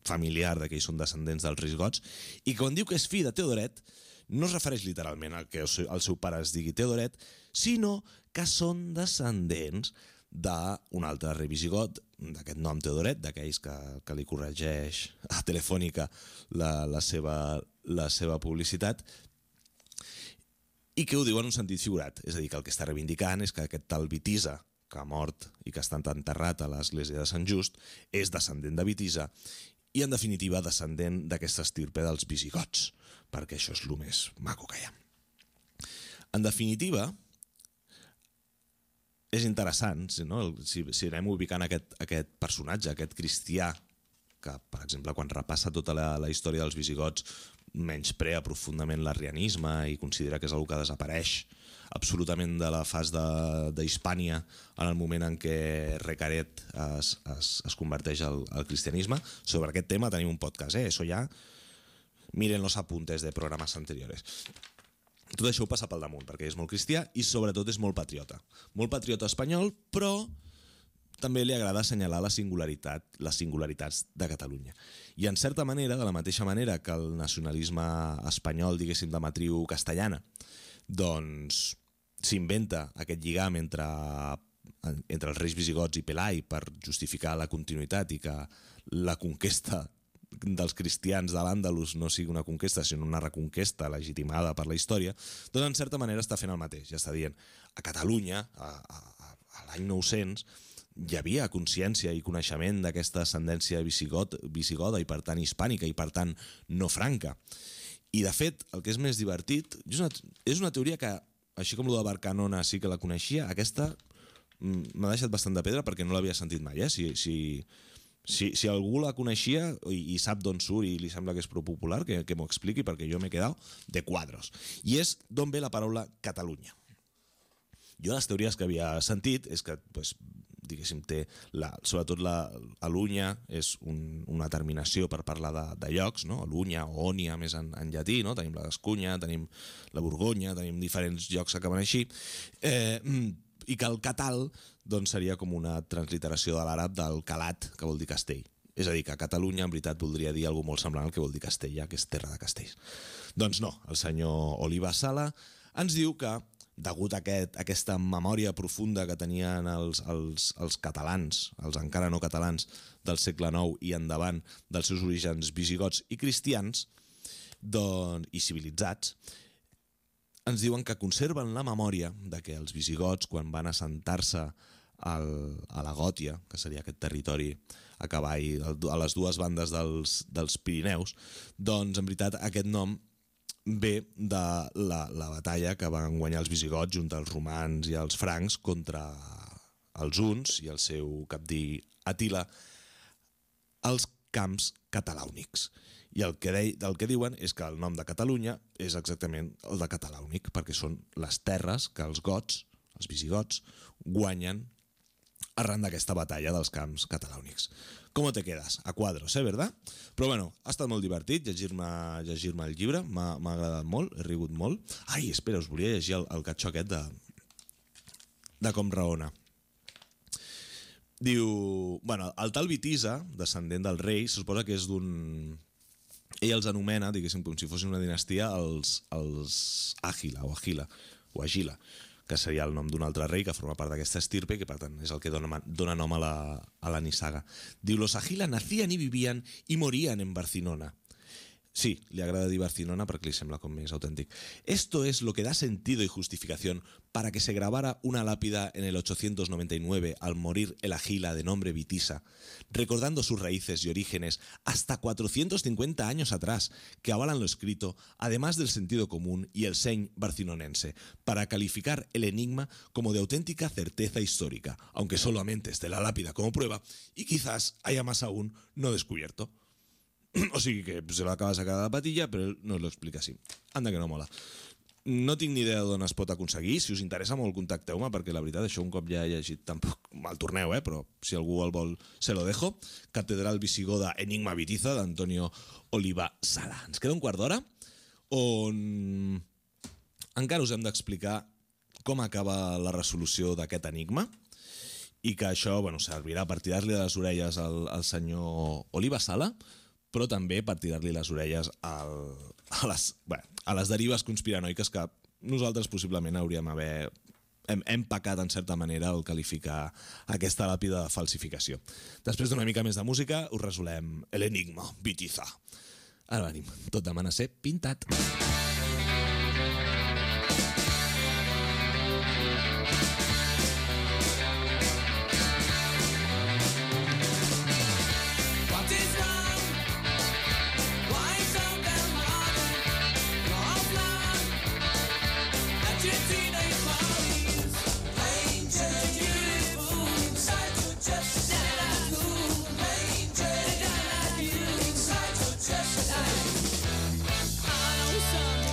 familiar de que ells són descendents dels reis gots, i quan diu que és fill de Teodoret, no es refereix literalment al que el seu pare es digui Teodoret, sinó que són descendents d'un altre rei visigot, d'aquest nom Teodoret, d'aquells que li corregeix a Telefònica la seva publicitat, i que ho diu en un sentit figurat, és a dir, que el que està reivindicant és que aquest tal Bitiza, que ha mort i que està enterrat a l'església de Sant Just, és descendent de Bitiza i, en definitiva, descendent d'aquesta estirpe dels visigots, perquè això és el més maco que hi ha. En definitiva, és interessant, no? Si anem ubicant aquest personatge, aquest cristià, que, per exemple, quan repassa tota la història dels visigots, menysprea profundament l'arrianisme i considera que és una que desapareix absolutament de la fas d'Hispània en el moment en què Recaret es converteix al cristianisme. Sobre aquest tema tenim un podcast, Això ja miren los apuntes de programes anteriores. Tot això ho passa pel damunt, perquè és molt cristià i sobretot és molt patriota. Molt patriota espanyol, però també li agrada assenyalar les singularitats de Catalunya. I en certa manera, de la mateixa manera que el nacionalisme espanyol, diguéssim, de matriu castellana, doncs s'inventa aquest lligam entre els reis visigots i Pelai per justificar la continuïtat i que la conquesta dels cristians de l'Àndalus no sigui una conquesta, sinó una reconquesta legitimada per la història, doncs en certa manera està fent el mateix. Ja està dient, a Catalunya, a l'any 900, hi havia consciència i coneixement d'aquesta ascendència visigoda i per tant hispànica i per tant no franca. I de fet, el que és més divertit, és una teoria que, així com la de Barcanona sí que la coneixia, aquesta m'ha deixat bastant de pedra perquè no l'havia sentit mai. Si algú la coneixia i sap d'on surt i li sembla que és prou popular, que m'ho expliqui, perquè jo m'he quedat de quadros. I és d'on ve la paraula Catalunya. Jo les teories que havia sentit és que, diguéssim, sobretot l'Alunya és una terminació per parlar de llocs, no? Alunya o Ònia més en llatí, no? Tenim la Gascunya, tenim la Borgonya, tenim diferents llocs que acaben així, i que el catal doncs, seria com una transliteració de l'àrab del calat, que vol dir castell. És a dir, que Catalunya en veritat voldria dir alguna molt semblant al que vol dir Castella, que és terra de castells. Doncs no, el senyor Oliva Sala ens diu que, degut a aquesta memòria profunda que tenien els catalans, els encara no catalans del segle IX i endavant, dels seus orígens visigots i cristians i civilitzats, ens diuen que conserven la memòria de que els visigots, quan van assentar-se a la Gòtia, que seria aquest territori a cavall, a les dues bandes dels Pirineus, doncs en veritat aquest nom ve de la batalla que van guanyar els visigots junt als romans i els francs contra els huns i el seu capdí Àtila als camps catalàunics. I el que diuen és que el nom de Catalunya és exactament el de Catalàunic, perquè són les terres que els gots, els visigots, guanyen arran d'aquesta batalla dels camps catalàunics. Com te quedes? A quadros, verdad? Però bueno, ha estat molt divertit llegir-me el llibre, m'ha agradat molt, he rigut molt. Ai, espera, us volia llegir el catxó aquest de com raona. Diu, bueno, el tal Vitisa, descendent del rei, se suposa que és d'un... Ell els anomena, diguéssim, com si fossin una dinastia, els Àgila o Agila, que seria el nom d'un altre rei que forma part d'aquesta estirpe, que per tant és el que dona nom a la nissaga. Diu, los Agila nacían y vivían y morían en Barcinona. Sí, le agrada dir Barcinona perquè li sembla com més auténtic. Esto es lo que da sentido y justificación para que se grabara una lápida en el 899 al morir el Agila de nombre Vitisa, recordando sus raíces y orígenes hasta 450 años atrás, que avalan lo escrito, además del sentido común y el seny barcinonense, para calificar el enigma como de auténtica certeza histórica, aunque solamente esté la lápida como prueba y quizás haya más aún no descubierto. O sigui que se l'acaba de sacar de la patilla, però ell no lo explica així. Anda que no mola. No tinc ni idea d'on es pot aconseguir. Si us interessa molt, contacteu-me, perquè la veritat, això un cop ja he llegit, tampoc me'l torneu, però si algú el vol, se lo dejo. Catedral visigoda Enigma Vitiza, d'Antonio Oliva Sala. Ens queda un quart d'hora, on encara us hem d'explicar com acaba la resolució d'aquest enigma, i que això servirà per tirar-li de les orelles al senyor Oliva Sala, però també per tirar-li les orelles a les derives conspiranoiques que nosaltres possiblement hem pecat en certa manera al qualificar aquesta làpida de falsificació. Després d'una mica més de música us resolem l'enigma Vitiza. Ara venim, tot demana ser pintat. Some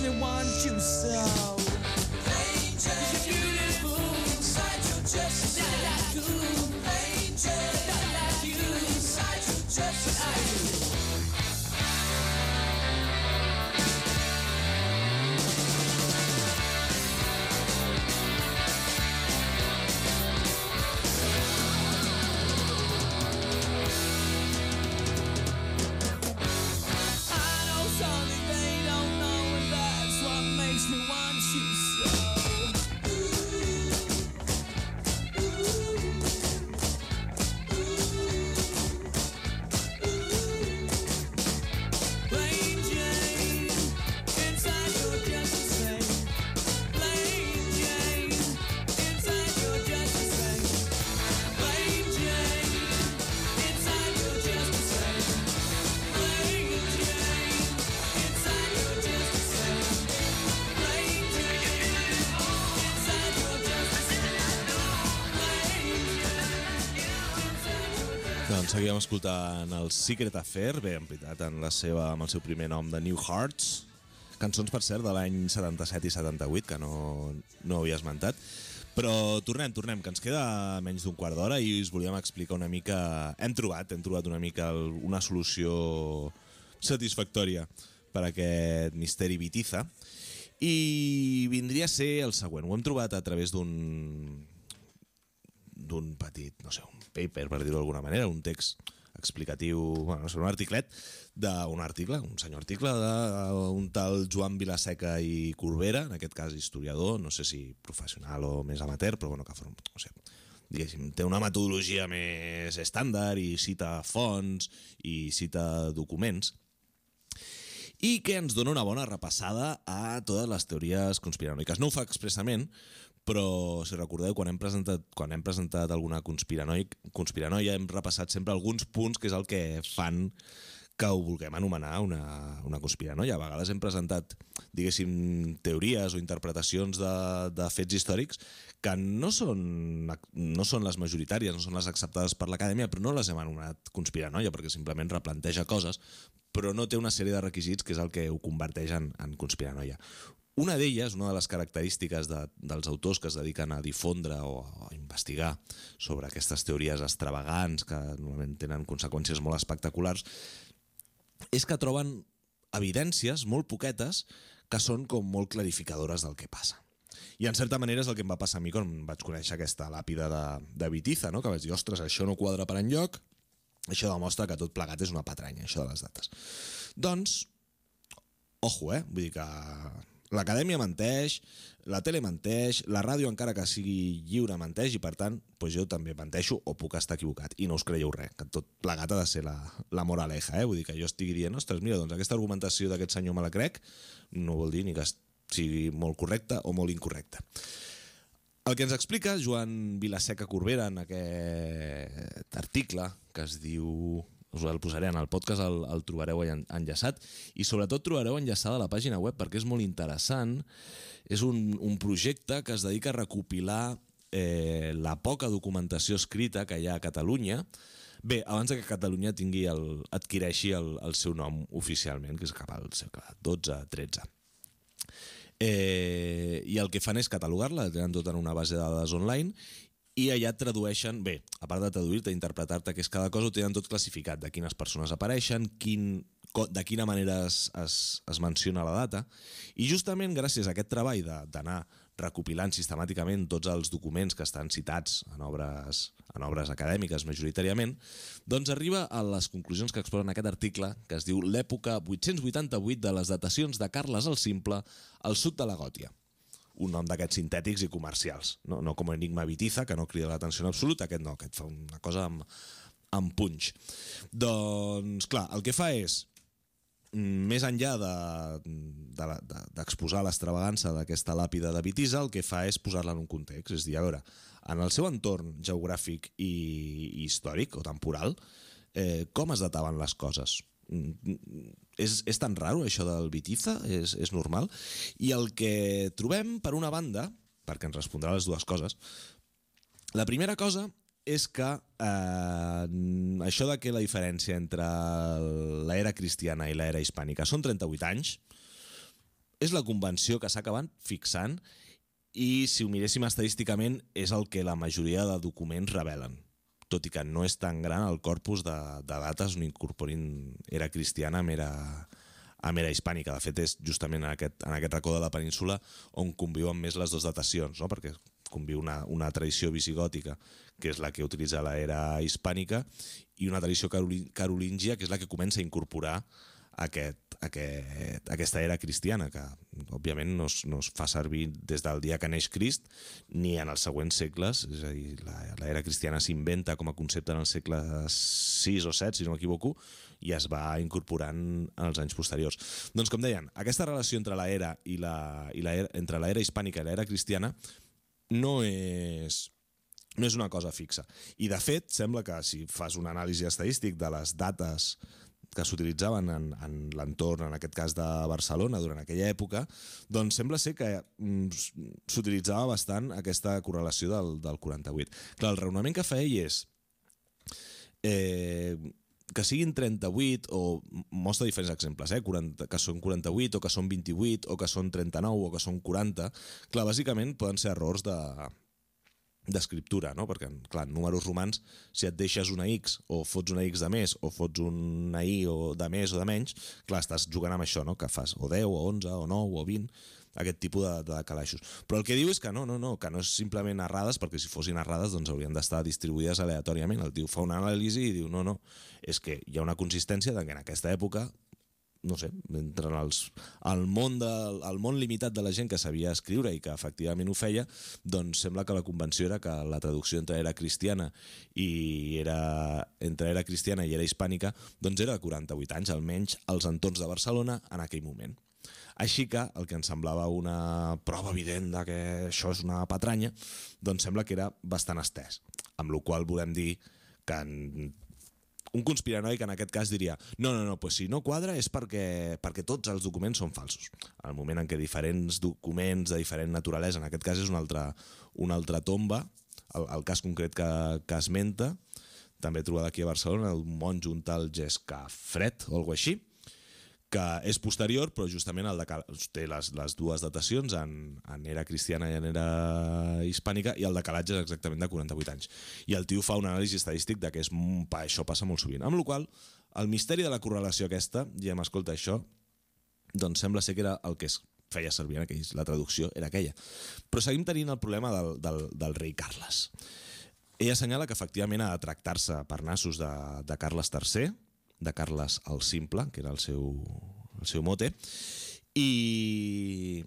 me want you so. Angel, you're beautiful, inside you're just like you. Angel, like you, inside you're just like you. Doncs seguíem escoltant el Secret Affair, bé, en veritat, amb el seu primer nom de New Hearts, cançons, per cert, de l'any 77 i 78, que no havia esmentat. Però tornem, que ens queda menys d'un quart d'hora i us volíem explicar una mica... Hem trobat una mica una solució satisfactòria per a aquest misteri Ibiza i vindria a ser el següent. Ho hem trobat a través d'un petit, no sé, un paper, per dir-ho d'alguna manera, un text explicatiu, bueno, no sé, un senyor article d'un tal Joan Vilaseca i Corbera, en aquest cas historiador, no sé si professional o més amateur, però bueno, que no sé, diguéssim, té una metodologia més estàndard i cita fonts i cita documents i que ens dona una bona repassada a totes les teories conspiranoiques. No ho fa expressament, però si recordeu, quan hem presentat alguna conspiranoia hem repassat sempre alguns punts que és el que fan que ho vulguem anomenar una conspiranoia. A vegades hem presentat, diguéssim, teories o interpretacions de fets històrics que no són les majoritàries, no són les acceptades per l'acadèmia, però no les hem anomenat conspiranoia perquè simplement replanteja coses, però no té una sèrie de requisits que és el que ho converteix en conspiranoia. Una d'elles, una de les característiques dels autors que es dediquen a difondre o a investigar sobre aquestes teories extravagants que normalment tenen conseqüències molt espectaculars, és que troben evidències molt poquetes que són com molt clarificadores del que passa. I en certa manera és el que em va passar a mi quan vaig conèixer aquesta làpida de Bitiza, no? Que vaig dir, ostres, això no quadra per enlloc, això demostra que tot plegat és una patranya, això de les dates. Doncs, ojo, vull dir que l'acadèmia menteix, la tele menteix, la ràdio encara que sigui lliure menteix i per tant doncs jo també menteixo o puc estar equivocat i no us creieu res, que tot plegat ha de ser la moraleja, vull dir que jo estigui dient, ostres, mira, doncs aquesta argumentació d'aquest senyor me la crec, no vol dir ni que sigui molt correcta o molt incorrecta. El que ens explica Joan Vilaseca Corbera en aquest article que es diu... us el posaré en el podcast, el trobareu enllaçat i sobretot trobareu enllaçada la pàgina web perquè és molt interessant. És un projecte que es dedica a recopilar la poca documentació escrita que hi ha a Catalunya. Bé, abans que Catalunya adquireixi el seu nom oficialment, que és cap al segle XII-XIII. I el que fan és catalogar-la, tenen tot en una base de dades online i allà tradueixen, bé, a part de traduir-te, interpretar-te què és cada cosa, ho tenen tot classificat, de quines persones apareixen, de quina manera es menciona la data, i justament gràcies a aquest treball d'anar recopilant sistemàticament tots els documents que estan citats en obres acadèmiques majoritàriament, doncs arriba a les conclusions que exposa en aquest article, que es diu l'època 888 de les datacions de Carles el Simple al sud de la Gòtia. Un nom d'aquests sintètics i comercials, no com Enigma Bitiza, que no crida l'atenció en absolut, aquest no, aquest fa una cosa amb punx. Doncs clar, el que fa és, més enllà d'exposar l'extravagança d'aquesta làpida de Bitiza, el que fa és posar-la en un context, és dir, a veure, en el seu entorn geogràfic i històric o temporal, com es dataven les coses? És tan raro això del Bitiza? És normal? I el que trobem, per una banda, perquè ens respondrà les dues coses, la primera cosa és que això de que la diferència entre l'era cristiana i l'era hispànica són 38 anys és la convenció que s'ha acabat fixant i, si ho miréssim estadísticament, és el que la majoria de documents revelen, tot i que no és tan gran el corpus de dates on incorporin era cristiana amb era hispànica. De fet, és justament en aquest racó de la península on conviuen més les dues datacions, no? Perquè conviu una tradició visigòtica, que és la que utilitza l'era hispànica, i una tradició carolíngia, que és la que comença a incorporar aquesta era cristiana, que òbviament no es fa servir des del dia que neix Crist ni en els següents segles. És a dir, l'era cristiana s'inventa com a concepte en el segle VI o VII, si no m'equivoco, i es va incorporant en els anys posteriors. Doncs, com deien, aquesta relació entre l'era entre l'era hispànica i l'era cristiana no és una cosa fixa. I, de fet, sembla que si fas un anàlisi estadístic de les dates que s'utilitzaven en l'entorn, en aquest cas de Barcelona, durant aquella època, doncs sembla ser que s'utilitzava bastant aquesta correlació del 48. Clar, el raonament que fa ell és que siguin 38, o mostra diferents exemples, que són 48, o que són 28, o que són 39, o que són 40. Clar, bàsicament poden ser errors d'escriptura, no? Perquè, clar, en números romans, si et deixes una X o fots una X de més o fots una Y o de més o de menys, clar, estàs jugant amb això, no? Que fas o 10 o 11 o 9 o 20, aquest tipus de calaixos. Però el que diu és que no és simplement errades, perquè si fossin errades doncs haurien d'estar distribuïdes aleatòriament. El tio fa una anàlisi i diu no, és que hi ha una consistència de que en aquesta època, no sé, entre el món limitat de la gent que sabia escriure i que efectivament ho feia, doncs sembla que la convenció era que la traducció entre era cristiana i era hispànica doncs era de 48 anys, almenys als entorns de Barcelona en aquell moment. Així que el que ens semblava una prova evident de que això és una patranya, doncs sembla que era bastant estès, amb la qual volem dir que un conspiranoic en aquest cas diria no, pues si no quadra és perquè tots els documents són falsos. En el moment en què diferents documents de diferent naturalesa, en aquest cas és una altra tomba, el cas concret que esmenta, també trobada aquí a Barcelona, el monjo un tal Gescafret o alguna així, que és posterior, però justament té les dues datacions en era cristiana i en era hispànica, i el decalatge és exactament de 48 anys. I el tio fa un anàlisi estadístic de que això passa molt sovint. Amb la qual cosa, el misteri de la correlació aquesta, diem, escolta, això, doncs sembla ser que era el que es feia servir en aquells, la traducció era aquella. Però seguim tenint el problema del rei Carles. Ell assenyala que efectivament ha de tractar-se per nassos de Carles III, de Carles el Simple, que era el seu mote, i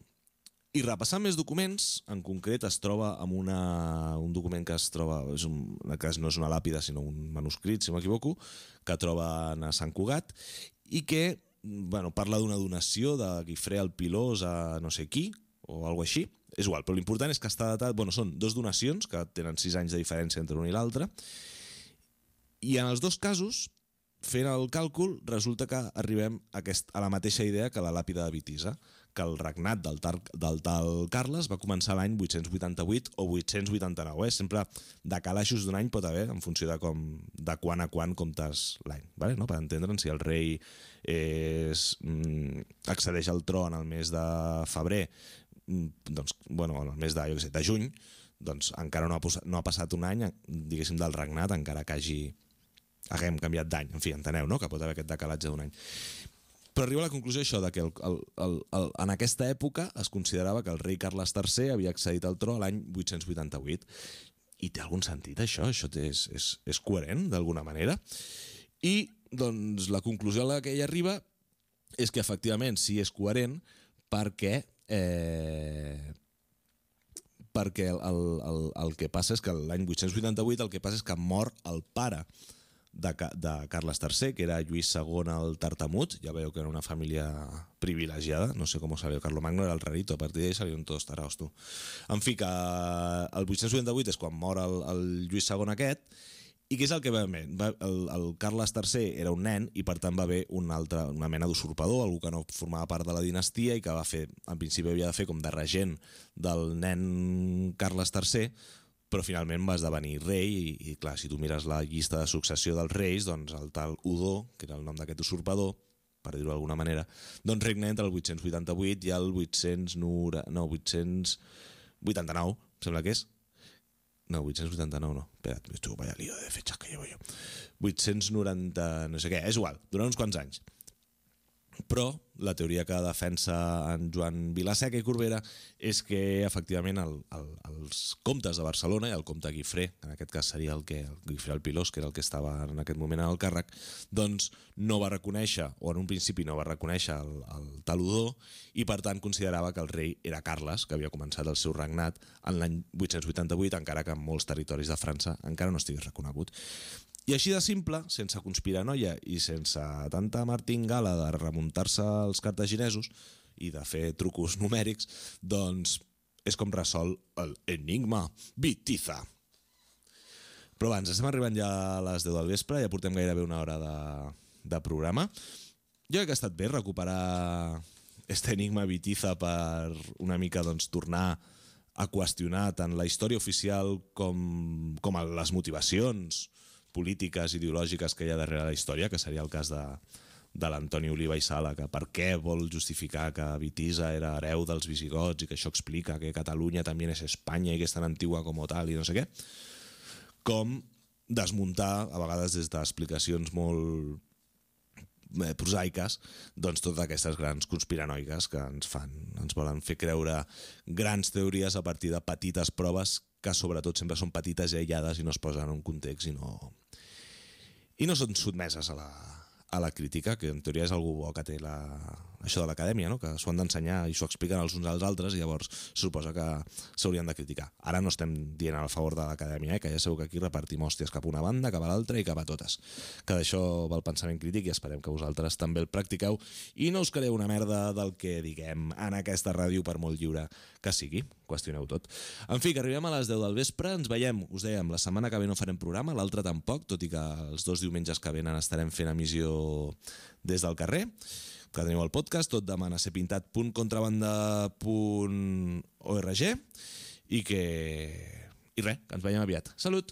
repassant més documents, en concret es troba amb un document que es troba, en aquest cas no és una làpida sinó un manuscrit, si m'equivoco, que troben a Sant Cugat, i que parla d'una donació de Guifré el Pilós a no sé qui, o alguna així, és igual, però l'important és que està datat, són dues donacions que tenen 6 anys de diferència entre una i l'altra, i en els dos casos, fent el càlcul, resulta que arribem a la mateixa idea que la làpida de Witisa, que el regnat del tal Carles va començar l'any 888 o 889. Sempre de calaixos d'un any pot haver, en funció de quan a quan comptes l'any. No? Per entendre'n, si el rei accedeix al tron al mes de febrer, doncs, el mes de juny, doncs encara no ha passat un any, diguéssim, del regnat, encara que haguem canviat d'any. En fi, enteneu, no?, que pot haver aquest decalatge d'un any. Però arriba a la conclusió això, que en aquesta època es considerava que el rei Carles III havia accedit al tron l'any 888. I té algun sentit, això? Això és coherent, d'alguna manera? I, doncs, la conclusió a la que ell arriba és que, efectivament, sí és coherent perquè el que passa és que l'any 888 el que passa és que mor el pare de Carles III, que era Lluís II el Tartamut. Ja veieu que era una família privilegiada, no sé com salió Carlomagno, era el rarito, a partir d'ell salieron todos taraos, tu. En fi, que el 888 és quan mor el Lluís II aquest, i què és el que va haver? El Carles III era un nen i per tant va haver una mena d'usurpador, algú que no formava part de la dinastia i que va fer, en principi havia de fer com de regent del nen Carles III, però finalment va esdevenir rei i clar, si tu mires la llista de successió dels reis, doncs el tal Udó, que era el nom d'aquest usurpador, per dir-ho d'alguna manera, doncs regna entre el 888 i el 889, sembla que és. No, 889 no. Espera't, esto vaya lío de fechas que llevo yo. 890, no sé què, és igual, durant uns quants anys. Però la teoria que defensa en Joan Vilaseca i Corbera és que efectivament els comtes de Barcelona i el comte Guifré, en aquest cas seria el Guifré el Pilós, que era el que estava en aquest moment en el càrrec, doncs no va reconèixer, o en un principi no va reconèixer el taludor, i per tant considerava que el rei era Carles, que havia començat el seu regnat en l'any 888, encara que en molts territoris de França encara no estigués reconegut. I així de simple, sense conspiranoia i sense tanta martingala de remuntar-se als cartaginesos i de fer trucos numèrics, doncs és com resol l'enigma Bitiza. Però abans, estem arribant ja a les 10 del vespre, ja portem gairebé una hora de programa. Jo crec que ha estat bé recuperar este enigma Bitiza per una mica doncs, tornar a qüestionar tant la història oficial com les motivacions polítiques, ideològiques que hi ha darrere la història, que seria el cas de l'Antoni Oliva i Sala, que per què vol justificar que Bitiza era hereu dels visigots i que això explica que Catalunya també és Espanya i que és tan antigua com tal i no sé què, com desmuntar, a vegades des d'explicacions molt prosaiques, doncs totes aquestes grans conspiranoiques que ens volen fer creure grans teories a partir de petites proves que sobretot sempre són petites i aïllades i no es posen en un context i no són sotmeses a la crítica, que en teoria és algú bo que té això de l'acadèmia, no? Que s'ho han d'ensenyar i s'ho expliquen els uns als altres i llavors se suposa que s'haurien de criticar. Ara no estem dient a favor de l'acadèmia, que ja sabeu que aquí repartim hòsties cap a una banda, cap a l'altra i cap a totes. Que d'això va el pensament crític i esperem que vosaltres també el practiqueu i no us creeu una merda del que diguem en aquesta ràdio, per molt lliure que sigui. Qüestioneu tot. En fi, que arribem a les 10 del vespre, ens veiem, us dèiem, la setmana que ve no farem programa, l'altra tampoc, tot i que els 2 diumenges que venen estarem fent emissió des del carrer, que teniu el podcast, tot demana serpintat.contrabanda.org i res, que ens veiem aviat. Salut!